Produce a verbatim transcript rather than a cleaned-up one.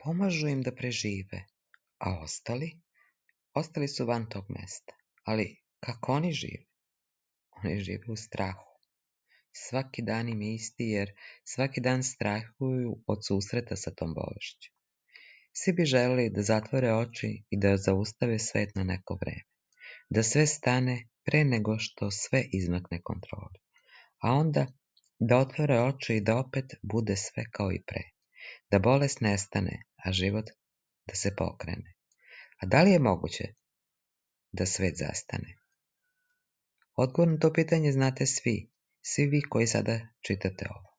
Pomažu im da prežive, a ostali? Ostali su van tog mesta. Ali kako oni žive? Oni žive u strahu. Svaki dan im je isti jer svaki dan strahuju od susreta sa tom bolešću. Svi bi želeli da zatvore oči i da zaustave svet na neko vreme. Da sve stane pre nego što sve izmakne kontroli. A onda da otvore oči i da opet bude sve kao i pre. Da bolest nestane, a život da se pokrene. A da li je moguće da svet zastane? Odgovor na to pitanje znate svi, svi vi koji sada čitate ovo.